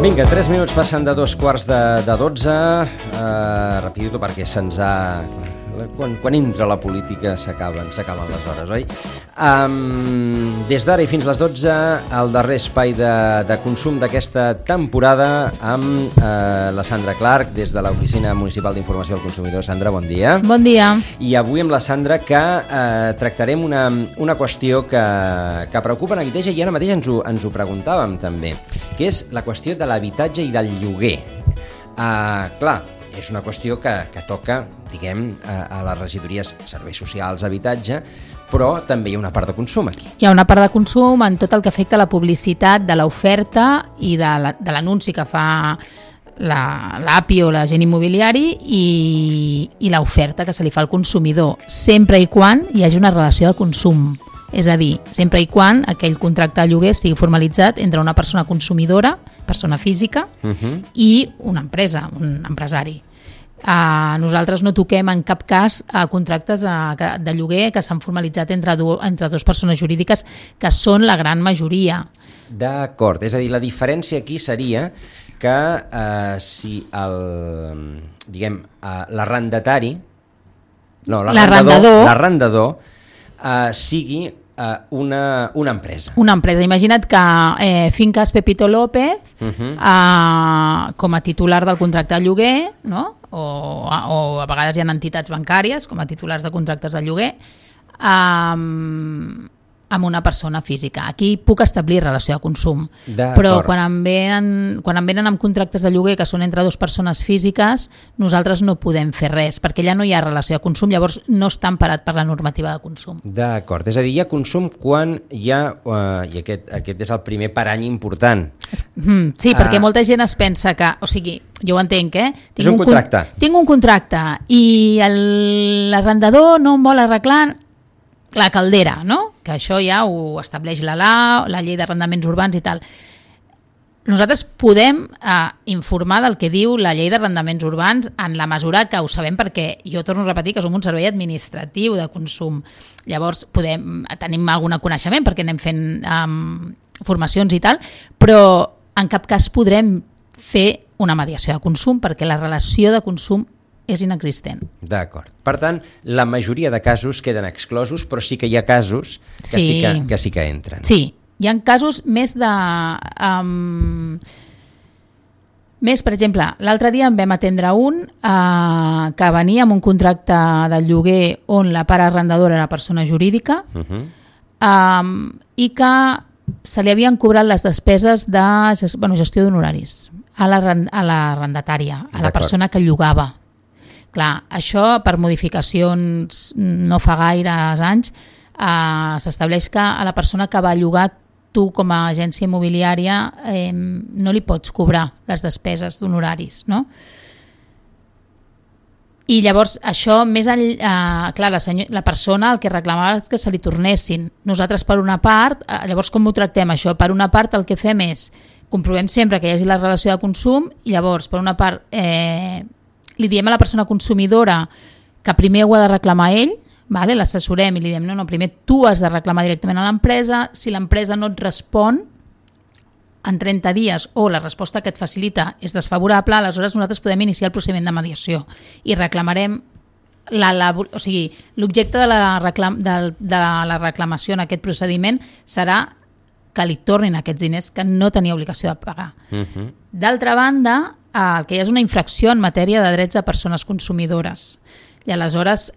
Vinga, 3 minuts passen de 2:15 de 12. Rapidito perquè se'ns ha... Quan entra la política s'acaben les hores, oi? Des d'ara i fins les 12, el darrer espai de consum d'aquesta temporada amb la Sandra Clark des de l'Oficina Municipal d'Informació del Consumidor. Sandra, bon dia. Bon dia. I avui amb la Sandra que tractarem una qüestió que preocupa Neguiteja i ara mateix ens ho preguntàvem també, que és la qüestió de l'habitatge i del lloguer. Clar, és una qüestió que toca, diguem, a les regidories serveis socials, habitatge, però també hi ha una part de consum aquí. Hi ha una part de consum en tot el que afecta la publicitat de l'oferta i de l'anunci que fa l'API o l'agent immobiliari i l'oferta que se li fa al consumidor, sempre i quan hi hagi una relació de consum. És a dir, sempre i quan aquell contracte de lloguer estigui formalitzat entre una persona consumidora, persona física, i una empresa, un empresari. Nosaltres no toquem en cap cas contractes de lloguer que s'han formalitzat entre dues persones jurídiques, que són la gran majoria. D'acord, és a dir, la diferència aquí seria que si l'arrendatari, no, l'arrendador sigui una empresa. Una empresa. Imagina't que Fincas Pepito López, com a titular del contracte de lloguer, no? o a vegades hi ha entitats bancàries com a titulars de contractes de lloguer, amb una persona física. Aquí puc establir relació de consum, però quan em venen amb contractes de lloguer que són entre dues persones físiques, nosaltres no podem fer res, perquè ja no hi ha relació de consum, llavors no està emparat per la normativa de consum. D'acord, és a dir, hi ha consum quan hi ha, i aquest és el primer parany important. Sí, perquè molta gent es pensa que, o sigui, jo ho entenc, és un contracte. Tinc un contracte i l'arrendador no em vol arreglar la caldera, no? Que això ja ho estableix la llei d'arrendaments urbans i tal. Nosaltres podem informar del que diu la llei d'arrendaments urbans en la mesura que ho sabem, perquè jo torno a repetir que som un servei administratiu de consum. Llavors tenim algun coneixement perquè anem fent formacions i tal, però en cap cas podrem fer una mediació de consum perquè la relació de consum és inexistent. D'acord. Per tant, la majoria de casos queden exclosos, però sí que hi ha casos que sí que entren. Sí, hi ha casos més de... per exemple, l'altre dia en vam atendre un que venia amb un contracte de lloguer on la part arrendadora era persona jurídica i que se li havien cobrat les despeses de gestió d'honoraris a l'arrendatària, a la persona que llogava. Clar, això per modificacions no fa gaires anys s'estableix que a la persona que va llogar tu com a agència immobiliària no li pots cobrar les despeses d'honoraris, no? I llavors això, més clar, la persona el que reclamava és que se li tornessin. Nosaltres per una part, llavors com ho tractem això? Per una part el que fem és, comprovem sempre que hi hagi la relació de consum i llavors per una part li diem a la persona consumidora que primer ho ha de reclamar ell, l'assessorem i li diem no, primer tu has de reclamar directament a l'empresa, si l'empresa no et respon en 30 dies o la resposta que et facilita és desfavorable, aleshores nosaltres podem iniciar el procediment de mediació i reclamarem l'objecte de la reclamació en aquest procediment serà que li tornin aquests diners que no tenia obligació de pagar. D'altra banda, el que hi ha és una infracció en matèria de drets de persones consumidores. I aleshores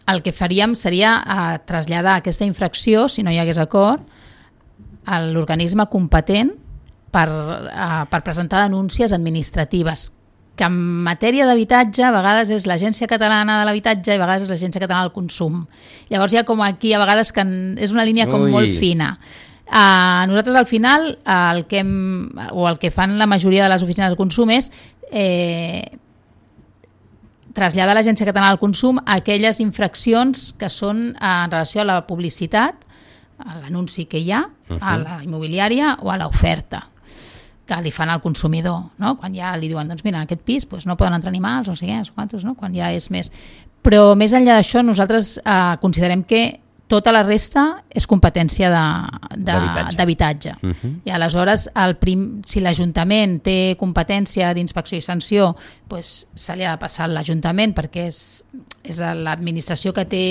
el que faríem seria traslladar aquesta infracció, si no hi hagués acord, a l'organisme competent per presentar denúncies administratives, que en matèria d'habitatge a vegades és l'Agència Catalana de l'Habitatge i a vegades és l'Agència Catalana del Consum. Llavors hi ha com aquí a vegades que és una línia com molt fina. Nosaltres al final el que fan la majoria de les oficines de consum és traslladar a l'Agència Catalana del Consum aquelles infraccions que són en relació a la publicitat, a l'anunci que hi ha, a la immobiliària o a l'oferta que li fan al consumidor, no? Quan ja li diuen, doncs mira, en aquest pis no poden entrar animals, no sé què, no? Quan ja és més. Però més enllà d'això, nosaltres considerem que tota la resta és competència d'habitatge. I aleshores, si l'Ajuntament té competència d'inspecció i sanció, doncs se li ha de passar a l'Ajuntament perquè és l'administració que té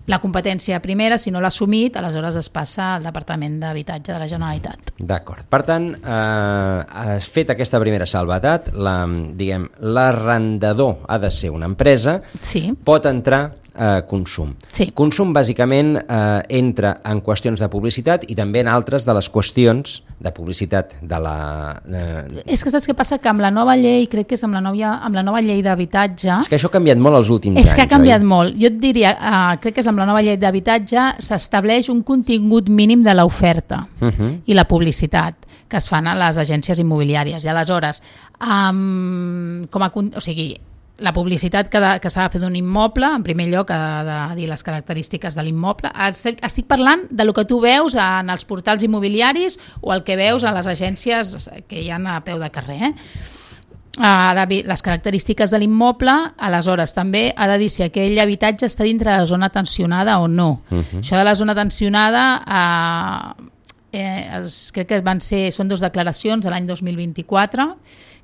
la competència primera. Si no l'ha assumit, aleshores es passa al Departament d'Habitatge de la Generalitat. D'acord. Per tant, has fet aquesta primera salvetat, l'arrendador ha de ser una empresa, sí. Pot entrar consum. Sí. Consum bàsicament entra en qüestions de publicitat i també en altres de les qüestions de publicitat de la... És que saps què passa? Que amb la nova llei, crec que és amb la nova llei d'habitatge... És que això ha canviat molt els últims anys. És que ha canviat molt. Jo et diria, crec que és amb la nova llei d'habitatge, s'estableix un contingut mínim de l'oferta i la publicitat que es fan a les agències immobiliàries. I aleshores, la publicitat que s'ha de fer d'un immoble, en primer lloc ha de dir les característiques de l'immoble. Estic parlant de lo que tu veus en els portals immobiliaris o el que veus a les agències que hi ha a peu de carrer. Les característiques de l'immoble, aleshores també ha de dir si aquell habitatge està dintre de la zona tensionada o no. Això de la zona tensionada crec que són 2 declaracions de l'any 2024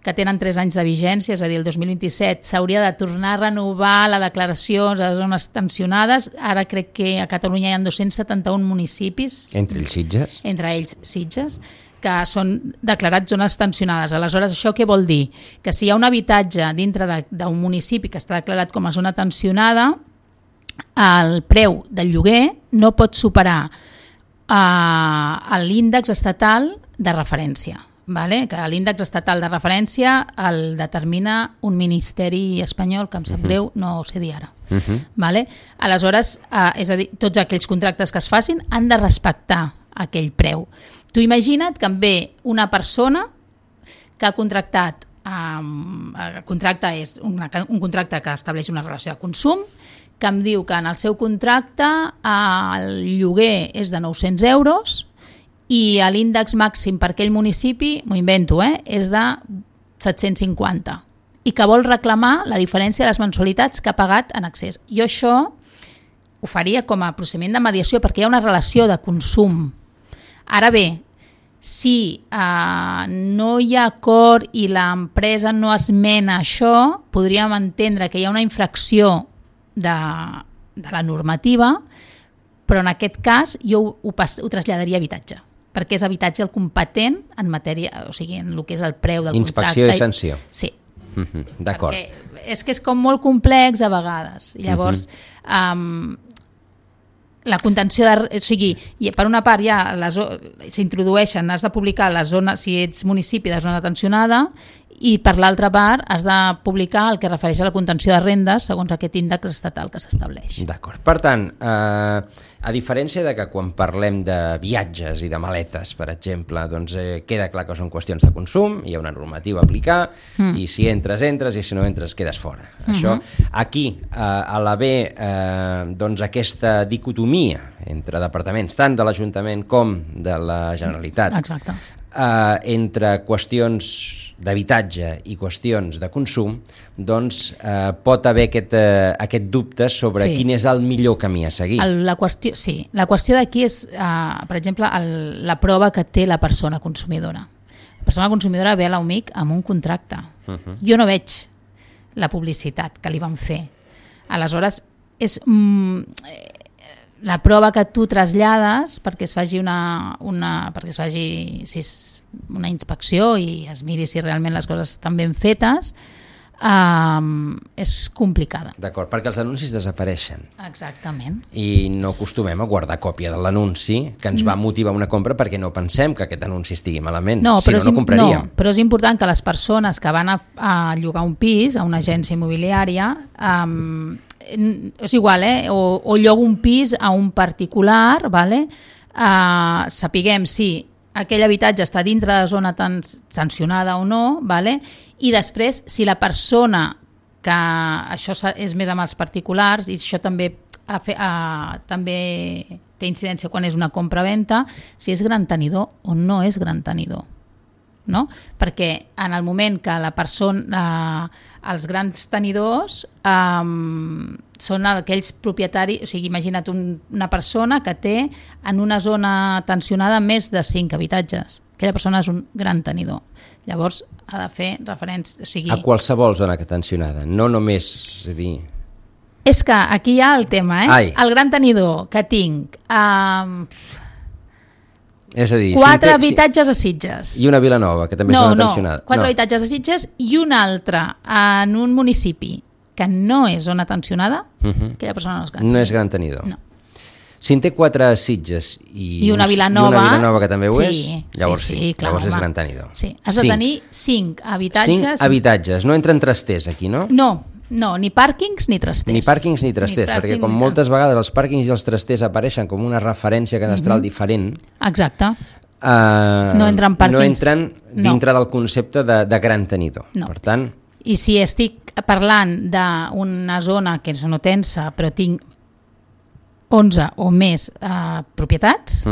que tenen 3 anys de vigència, és a dir, el 2027 s'hauria de tornar a renovar la declaració de zones tensionades. Ara crec que a Catalunya hi ha 271 municipis. Entre ells Sitges. Entre ells Sitges, que són declarats zones tensionades. Aleshores, això què vol dir? Que si hi ha un habitatge dintre d'un municipi que està declarat com a zona tensionada, el preu del lloguer no pot superar l'índex estatal de referència. Vale? Que l'índex estatal de referència el determina un ministeri espanyol que em sap greu, no ho sé dir ara. Vale? Aleshores, és a dir, tots aquells contractes que es facin han de respectar aquell preu. Tu imagina't que em ve una persona que ha contractat, el contracte és un contracte que estableix una relació de consum, que em diu que en el seu contracte el lloguer és de 900 euros i l'índex màxim per aquell municipi, m'ho invento, és de 750 i que vol reclamar la diferència de les mensualitats que ha pagat en excés. Jo això ho faria com a procediment de mediació perquè hi ha una relació de consum. Ara bé, si no hi ha acord i l'empresa no esmena això, podríem entendre que hi ha una infracció de la normativa, però en aquest cas jo ho traslladaria a habitatge, perquè és habitatge el competent en matèria, o sigui, en el que és el preu del contracte. Inspecció i sanció. Sí. D'acord. Perquè és que és com molt complex a vegades. I llavors, la contenció o sigui, per una part ja s'introdueixen, has de publicar la zona, si ets municipi de zona tensionada, i per l'altra part has de publicar el que refereix a la contenció de rendes segons aquest índex estatal que s'estableix. D'acord. Per tant, a diferència de que quan parlem de viatges i de maletes, per exemple, doncs queda clar que són qüestions de consum, hi ha una normativa a aplicar i si entres, entres i si no entres quedes fora. Això, aquí, a l'haver doncs aquesta dicotomia entre departaments, tant de l'Ajuntament com de la Generalitat, exacte, entre qüestions d'habitatge i qüestions de consum, doncs pot haver aquest dubte sobre quin és el millor camí a seguir. La qüestió d'aquí és, per exemple, la prova que té la persona consumidora. La persona consumidora ve a l'UMIC amb un contracte. Jo no veig la publicitat que li van fer. Aleshores, és la prova que tu trasllades perquè es faci una inspecció i es miri si realment les coses estan ben fetes, és complicada. D'acord, perquè els anuncis desapareixen. Exactament. I no acostumem a guardar còpia de l'anunci que ens va motivar una compra perquè no pensem que aquest anunci estigui malament. No compraríem. No, però és important que les persones que van a llogar un pis a una agència immobiliària, és igual, o llogo un pis a un particular, vale? Sapiguem si aquell habitatge està dintre de la zona sancionada o no, vale? I després, si la persona, que això és més amb els particulars, i això també té incidència quan és una compra-venta, si és gran tenidor o no és gran tenidor. No? Perquè en el moment que la persona, els grans tenidors són aquells propietaris, o sigui, imagina't una persona que té en una zona tensionada més de 5 habitatges. Aquella persona és un gran tenidor. Llavors ha de fer referència... O sigui, a qualsevol zona tensionada, no només... És a dir... És que aquí hi ha el tema, El gran tenidor que tinc... és a dir... 4 habitatges a Sitges. I una Vilanova, que també és zona tensionada. 4 habitatges a Sitges i un altre en un municipi que no és zona tensionada, aquella persona no és gran tenidor. No és gran tenidor. No. Si en té 4 a Sitges i una Vilanova que també ho és, llavors clar, llavors és home. gran tenidor. Sí. Has de tenir 5 habitatges. 5 habitatges, no entren trasters aquí, no? No, ni pàrquings ni trasters. Ni pàrquings ni trasters, perquè com moltes vegades els pàrquings i els trasters apareixen com una referència cadastral diferent. Exacte. No entren pàrquings. No entren dintre del concepte de gran tenidor. No. Per tant... I si estic parlant d'una zona que és no tensa, però tinc 11 o més propietats,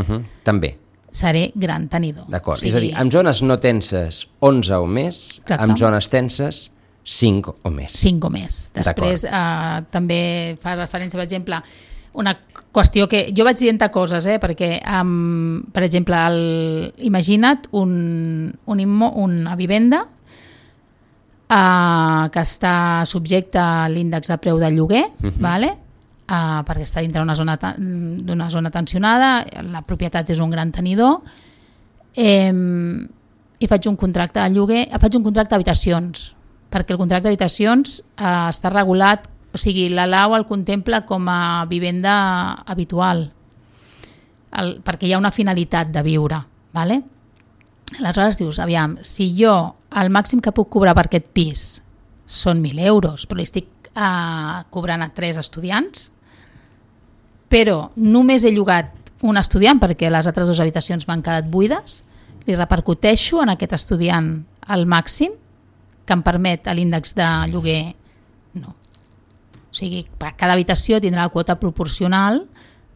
també seré gran tenidor. D'acord, és a dir, en zones no tenses 11 o més, en zones tenses 5 o més. 5 o més. Després també fa referència, per exemple, una qüestió que jo vaig dient coses, perquè, per exemple, imagina't una vivenda que està subjecte a l'índex de preu del lloguer, perquè està dintre d'una zona tensionada, la propietat és un gran tenidor, i faig un contracte de lloguer, faig un contracte d'habitacions, perquè el contracte d'habitacions està regulat, o sigui, la LAU el contempla com a vivenda habitual, perquè hi ha una finalitat de viure, ¿vale? Aleshores dius, aviam, si jo el màxim que puc cobrar per aquest pis són 1.000 euros, però li estic cobrant a 3 estudiants, però només he llogat un estudiant perquè les altres 2 habitacions m'han quedat buides, li repercuteixo en aquest estudiant al màxim que em permet l'índex de lloguer? No. O sigui, cada habitació tindrà la quota proporcional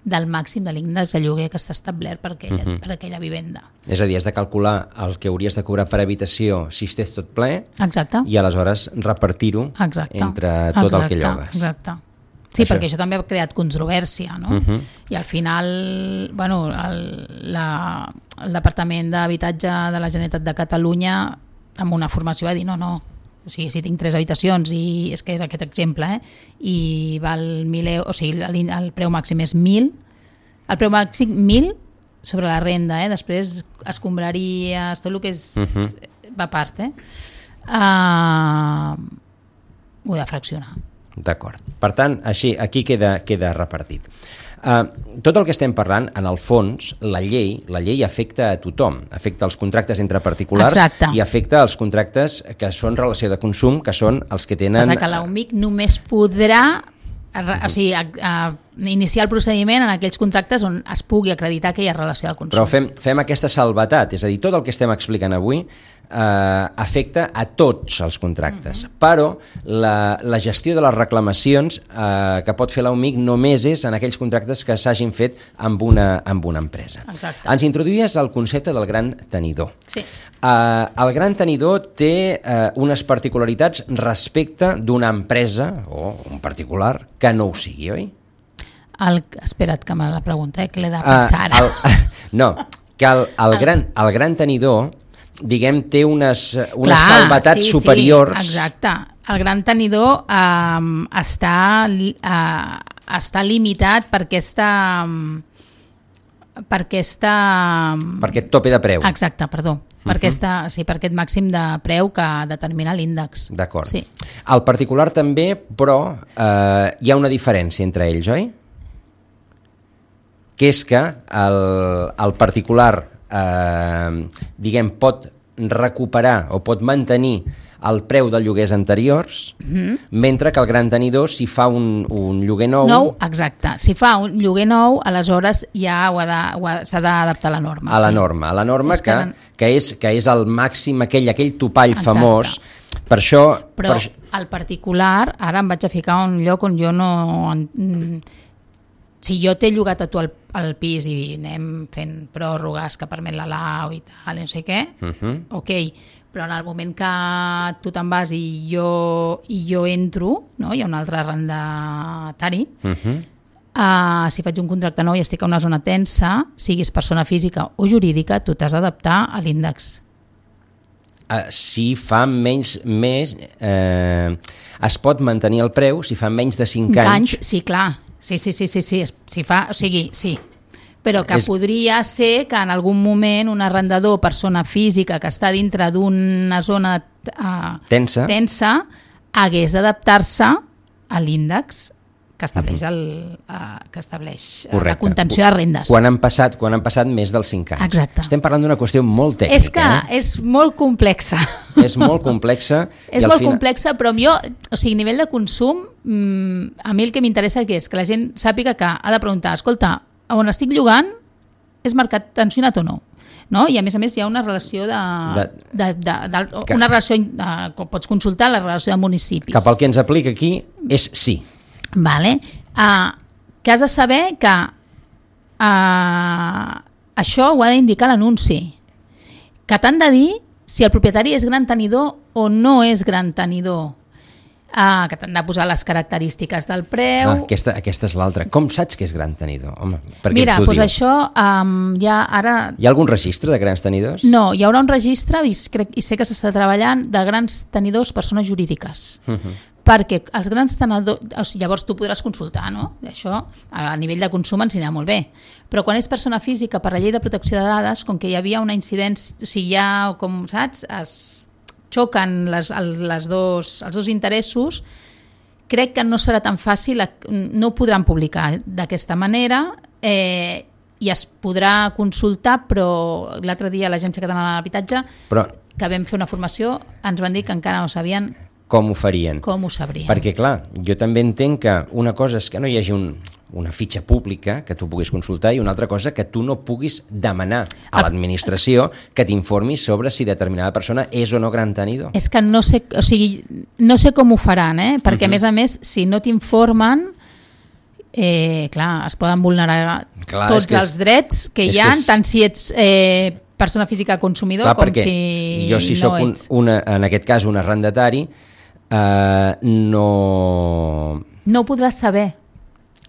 del màxim de l'índex de lloguer que està establert per aquella vivenda. És a dir, has de calcular el que hauries de cobrar per habitació si estàs tot ple. Exacte. I aleshores repartir-ho entre tot el que llogues. Exacte. Sí, perquè això també ha creat controvèrsia, no? I al final, bueno, el Departament d'Habitatge de la Generalitat de Catalunya, amb una formació, va dir no, o sigui, si tinc 3 habitacions i és que era aquest exemple, i val 1.000 euros, o sigui, el preu màxim és 1.000, el preu màxim 1.000 sobre la renda, després escombraries, tot el que és va a part, ho he de fraccionar. D'acord. Per tant, així, aquí queda repartit. Tot el que estem parlant, en el fons, la llei afecta a tothom, afecta els contractes entre particulars. Exacte. I afecta els contractes que són relació de consum, que són els que tenen... Passa que l'UMIC només podrà iniciar el procediment en aquells contractes on es pugui acreditar que hi ha relació de consum. Però fem aquesta salvetat, és a dir, tot el que estem explicant avui afecta a tots els contractes, però la gestió de les reclamacions que pot fer l'UMIC només és en aquells contractes que s'hagin fet amb una empresa. Exacte. Ens introduïes el concepte del gran tenidor. Sí. El gran tenidor té unes particularitats respecte d'una empresa o un particular que no ho sigui, oi? Espera't que me la pregunta, que l'he de pensar ara. No, que el gran tenidor, diguem, té unes salvetats superiors. Sí, exacte. El gran tenidor està limitat per aquest tope de preu. Exacte, perdó. Per aquest màxim de preu que determina l'índex. D'acord. Sí. El particular també, però hi ha una diferència entre ells, oi? Que és que el particular diguem, pot recuperar o pot mantenir el preu dels lloguers anteriors, mentre que el gran tenidor, si fa un lloguer nou... Exacte. Si fa un lloguer nou, aleshores ja s'ha d'adaptar a la norma. A la norma que és el màxim, aquell topall famós. Per això... Però el particular, ara em vaig a ficar un lloc on jo no... Si jo t'he llogat a tu al pis i anem fent pròrrogues que permet la LAU i tal, no sé què, ok, Però en el moment que tu te'n vas i jo entro, no? Hi ha un altre arrendatari, si faig un contracte nou i estic a una zona tensa, siguis persona física o jurídica, tu t'has d'adaptar a l'índex. Si fa menys... es pot mantenir el preu si fa menys de 5 anys. Sí, clar. Sí. Si fa, o sigui, sí. Però que podria ser que en algun moment un arrendador, persona física que està dintre d'una zona tensa hagués d'adaptar-se a l'índex que estableix, la contenció de rendes. Quan han passat més dels 5 anys. Exacte. Estem parlant d'una qüestió molt tècnica. És que és molt complexa. És molt complexa. Complexa, però jo, o sigui, a nivell de consum, a mi el que m'interessa és que la gent sàpiga que ha de preguntar, escolta, on estic llogant és mercat tensionat o no? No? I a més hi ha una relació pots consultar la relació de municipis. Cap al que ens aplica aquí és sí. Vale. Que has de saber que això ho ha d'indicar l'anunci, que t'han de dir si el propietari és gran tenidor o no és gran tenidor, que t'han de posar les característiques del preu. Aquesta és l'altra. Com saps que és gran tenidor? Home, mira, doncs això ja ara... Hi ha algun registre de grans tenidors? No, hi haurà un registre, i sé que s'està treballant, de grans tenidors persones jurídiques. Perquè els grans tenidors, o sigui, llavors tu podràs consultar, no? Això a nivell de consum ens anirà molt bé, però quan és persona física per la llei de protecció de dades, com que hi havia una incidència, o sigui, ja, com saps, es xoquen els dos interessos, crec que no serà tan fàcil, no ho podran publicar d'aquesta manera, i es podrà consultar, però l'altre dia l'Agència Catalana de l'Habitatge, que vam fer una formació, ens van dir que encara no sabien com ho farien. Com ho sabrien. Perquè, clar, jo també entenc que una cosa és que no hi hagi una fitxa pública que tu puguis consultar i una altra cosa que tu no puguis demanar a l'administració que t'informi sobre si determinada persona és o no gran tenidor. És que no sé com ho faran, perquè a més, si no t'informen, clar, es poden vulnerar tots els drets que hi ha, tant si ets persona física consumidor com si jo, si soc en aquest cas un arrendatari, no ho podràs saber.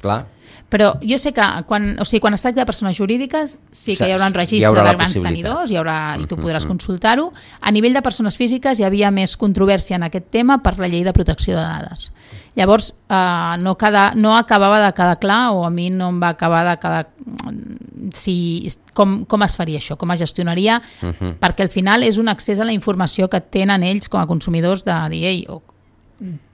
Clar. Però jo sé que quan es tracta de persones jurídiques sí que hi haurà un registre de grans tenidors i tu podràs consultar-ho. A nivell de persones físiques hi havia més controvèrsia en aquest tema per la llei de protecció de dades. Llavors no acabava de quedar clar, o a mi no em va acabar de quedar com es faria això, com es gestionaria, perquè al final és un accés a la informació que tenen ells com a consumidors de dir,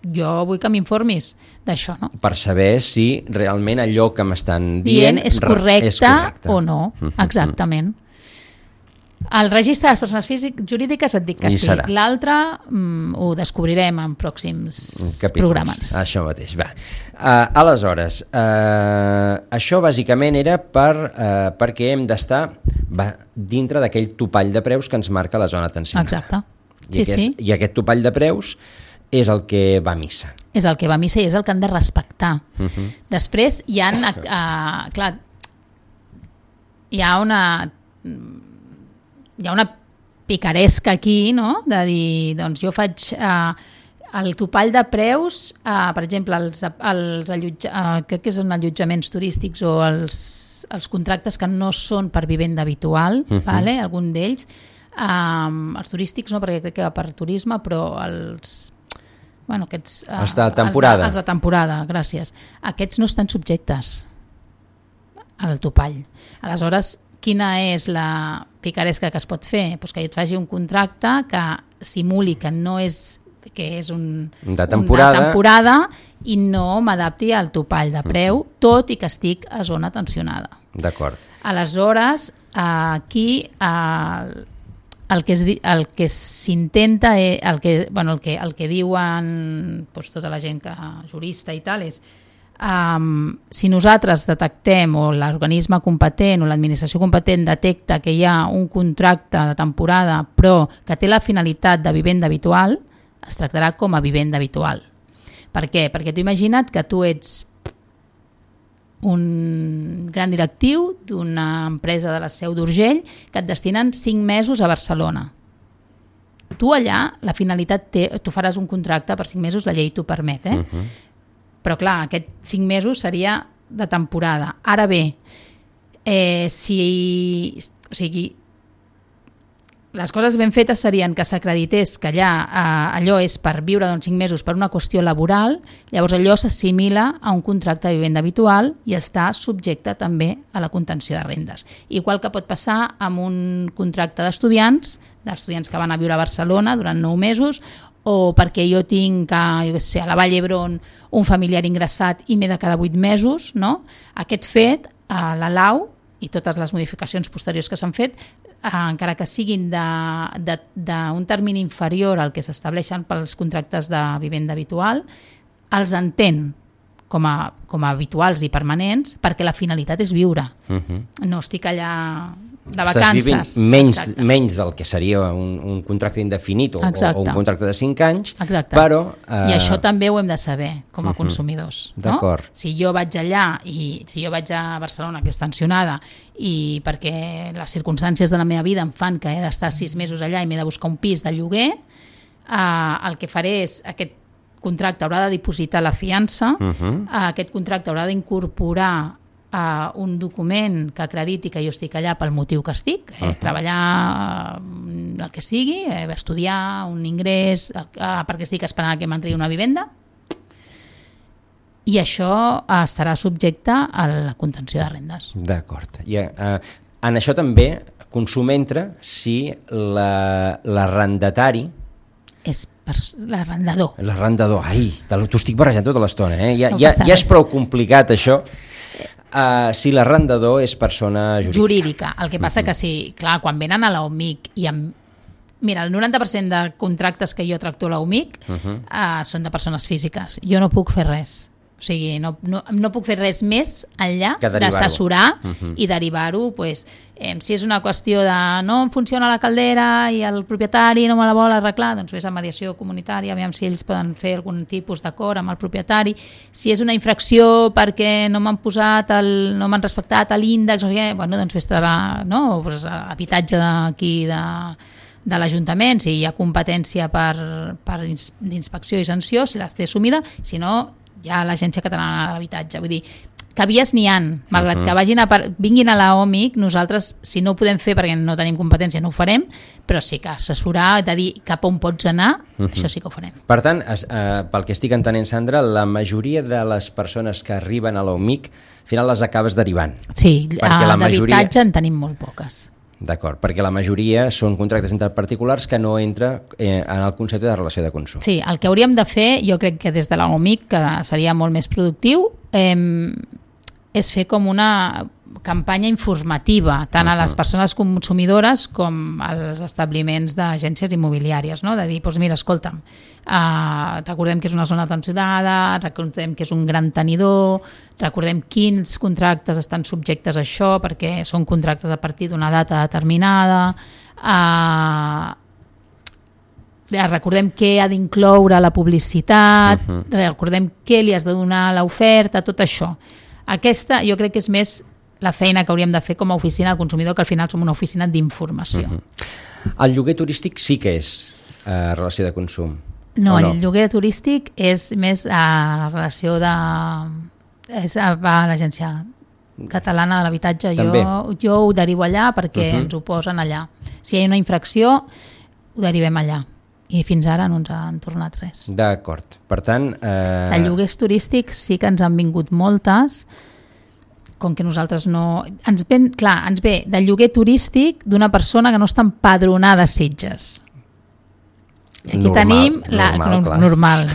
jo vull que m'informis d'això, no? Per saber si realment allò que m'estan dient és correcte o no. Exactament. El registre de les persones jurídiques et dic que sí. L'altre ho descobrirem en pròxims programes. Això mateix. Aleshores, això bàsicament era perquè hem d'estar dintre d'aquell topall de preus que ens marca la zona tensionada. Exacte. I aquest topall de preus és el que va a missa. És el que va a missa i és el que han de respectar. Després hi ha una picaresca aquí, no? De dir, doncs jo faig el topall de preus, per exemple, crec que són allotjaments turístics o els contractes que no són per vivenda habitual, algun d'ells, els turístics no, perquè crec que va per turisme, però els de temporada. Els de temporada, gràcies. Aquests no estan subjectes al topall. Aleshores, quina és la picaresca que es pot fer? Pues que jo et faci un contracte que simuli que és un de temporada i no m'adapti al topall de preu, tot i que estic a zona tensionada. D'acord. Aleshores, aquí el que s'intenta, el que diuen tota la gent jurista i tal és si nosaltres detectem o l'organisme competent o l'administració competent detecta que hi ha un contracte de temporada però que té la finalitat de vivenda habitual, es tractarà com a vivenda habitual. Per què? Perquè tu imagina't que tu ets un gran directiu d'una empresa de la Seu d'Urgell que et destinen 5 mesos a Barcelona. tu allà, la finalitat tu faràs un contracte per 5 mesos, la llei t'ho permet, però clar, aquest 5 mesos seria de temporada. Ara bé, les coses ben fetes serien que s'acredités que allò és per viure 5 mesos per una qüestió laboral, llavors allò s'assimila a un contracte de vivenda habitual i està subjecte també a la contenció de rendes. Igual que pot passar amb un contracte d'estudiants que van a viure a Barcelona durant 9 mesos, o perquè jo tinc a la Vall d'Hebron un familiar ingressat i m'he de quedar 8 mesos, no? Aquest fet, la LAU i totes les modificacions posteriors que s'han fet, encara que siguin d'un termini inferior al que s'estableixen pels contractes de vivenda habitual, els entén com a habituals i permanents perquè la finalitat és viure. No estic allà de vacances. Estàs vivint menys del que seria un contracte indefinit o un contracte de 5 anys, però... I això també ho hem de saber com a consumidors. D'acord. Si jo vaig allà, si jo vaig a Barcelona, que és tensionada, i perquè les circumstàncies de la meva vida em fan que he d'estar 6 mesos allà i m'he de buscar un pis de lloguer, el que faré és aquest contracte haurà de dipositar la fiança, aquest contracte haurà d'incorporar un document que acrediti que jo estic allà pel motiu que estic, treballar el que sigui, estudiar, un ingrés, perquè estic esperant que m'entri una vivenda, i això estarà subjecte a la contenció de rendes. D'acord. En això també consum entra si l'arrendatari és l'arrendador. L'arrendador, t'ho estic barrejant tota l'estona, ja és prou complicat això. Si l'arrendador és persona jurídica. El que passa que sí, clar, quan venen a l'OMIC mira, el 90% de contractes que jo tracto a l'OMIC són de persones físiques. Jo no puc fer res. O sigui, no puc fer res més enllà d'assessorar i derivar-ho. Si és una qüestió de no em funciona la caldera i el propietari no me la vol arreglar, doncs vés a mediació comunitària, aviam si ells poden fer algun tipus d'acord amb el propietari. Si és una infracció perquè no m'han respectat l'índex, doncs vés a habitatge d'aquí de l'Ajuntament, si hi ha competència d'inspecció i sanció, si l'has assumida, si no hi ha l'Agència Catalana de l'Habitatge. Vull dir, que vies n'hi ha, malgrat que vinguin a l'OMIC, nosaltres, si no ho podem fer perquè no tenim competència, no ho farem, però sí que assessorar, de dir cap on pots anar, això sí que ho farem. Per tant, pel que estic entenent, Sandra, la majoria de les persones que arriben a l'OMIC, al final les acabes derivant. Sí, d'habitatge en tenim molt poques. D'acord, perquè la majoria són contractes entre particulars que no entra en el concepte de relació de consum. Sí, el que hauríem de fer, jo crec que des de l'OMIC, que seria molt més productiu, és fer com una campanya informativa tant a les persones consumidores com als establiments d'agències immobiliàries, no? De dir, doncs mira, escolta'm, recordem que és una zona tensionada, recordem que és un gran tenidor, recordem quins contractes estan subjectes a això, perquè són contractes a partir d'una data determinada, recordem què ha d'incloure la publicitat, recordem què li has de donar a l'oferta, tot això. Aquesta jo crec que és més la feina que hauríem de fer com a oficina del consumidor, que al final som una oficina d'informació. El lloguer turístic sí que és relació de consum? No, el lloguer turístic és més relació de... és a l'Agència Catalana de l'Habitatge. Jo ho derivo allà perquè ens ho posen allà. Si hi ha una infracció, ho derivem allà. I fins ara no ens han tornat res. D'acord. Per tant... De lloguers turístics sí que ens han vingut moltes, com que nosaltres no... Ens ve del lloguer turístic d'una persona que no està empadronada a Sitges. I aquí tenim normal.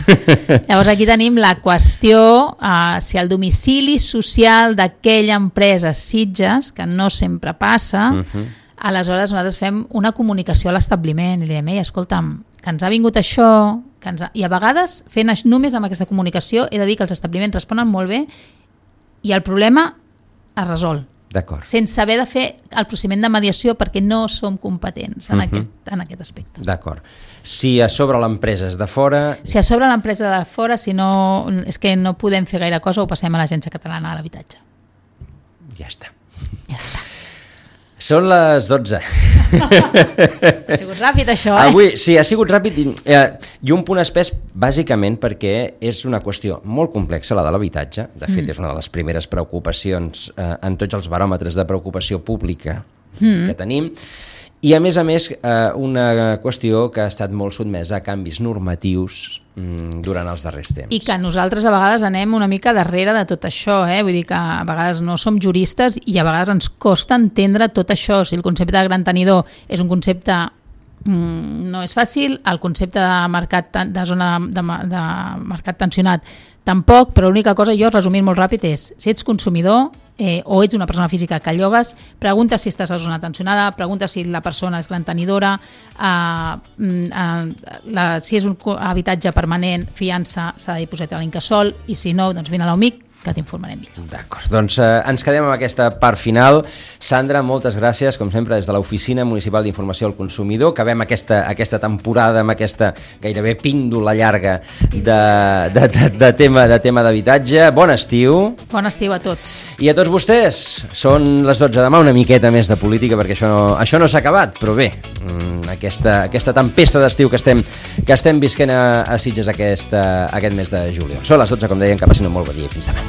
Llavors aquí tenim la qüestió si el domicili social d'aquella empresa Sitges, que no sempre passa, aleshores nosaltres fem una comunicació a l'establiment i li diem, escolta'm, que ens ha vingut això, i a vegades fent només amb aquesta comunicació he de dir que els establiments responen molt bé i el problema es resol. D'acord. Sense haver de fer el procediment de mediació perquè no som competents en aquest aspecte. D'acord. Si a sobre l'empresa és de fora... Si a sobre l'empresa de fora, si no, és que no podem fer gaire cosa, ho passem a l'Agència Catalana de l'Habitatge. Ja està. Ja està. Són les 12. Ha sigut ràpid, això, Avui, sí, ha sigut ràpid i un punt espès, bàsicament, perquè és una qüestió molt complexa, la de l'habitatge. De fet, és una de les primeres preocupacions en tots els baròmetres de preocupació pública que tenim. I, a més, una qüestió que ha estat molt sotmesa a canvis normatius durant els darrers temps. I que nosaltres a vegades anem una mica darrere de tot això, vull dir que a vegades no som juristes i a vegades ens costa entendre tot això. Si el concepte de gran tenidor és un concepte no és fàcil, el concepte de mercat de zona de mercat tensionat tampoc, però l'única cosa, jo resumint molt ràpid, és si ets consumidor o ets una persona física que llogues, pregunta si estàs a zona tensionada, pregunta si la persona és gran tenidora, si és un habitatge permanent, fiança, s'ha de dipositar a l'incasòl, i si no, doncs vine a l'OMIC, que t'informarem millor. D'acord, doncs ens quedem amb aquesta part final. Sandra, moltes gràcies, com sempre, des de l'Oficina Municipal d'Informació al Consumidor. Acabem aquesta temporada amb aquesta gairebé píndola llarga de tema d'habitatge. Bon estiu. Bon estiu a tots. I a tots vostès, són les 12 demà, una miqueta més de política, perquè això no s'ha acabat, però bé, aquesta tempesta d'estiu que estem visquent a Sitges aquest mes de juliol. Són les 12, com deien, que passin un molt bon dia. Fins demà.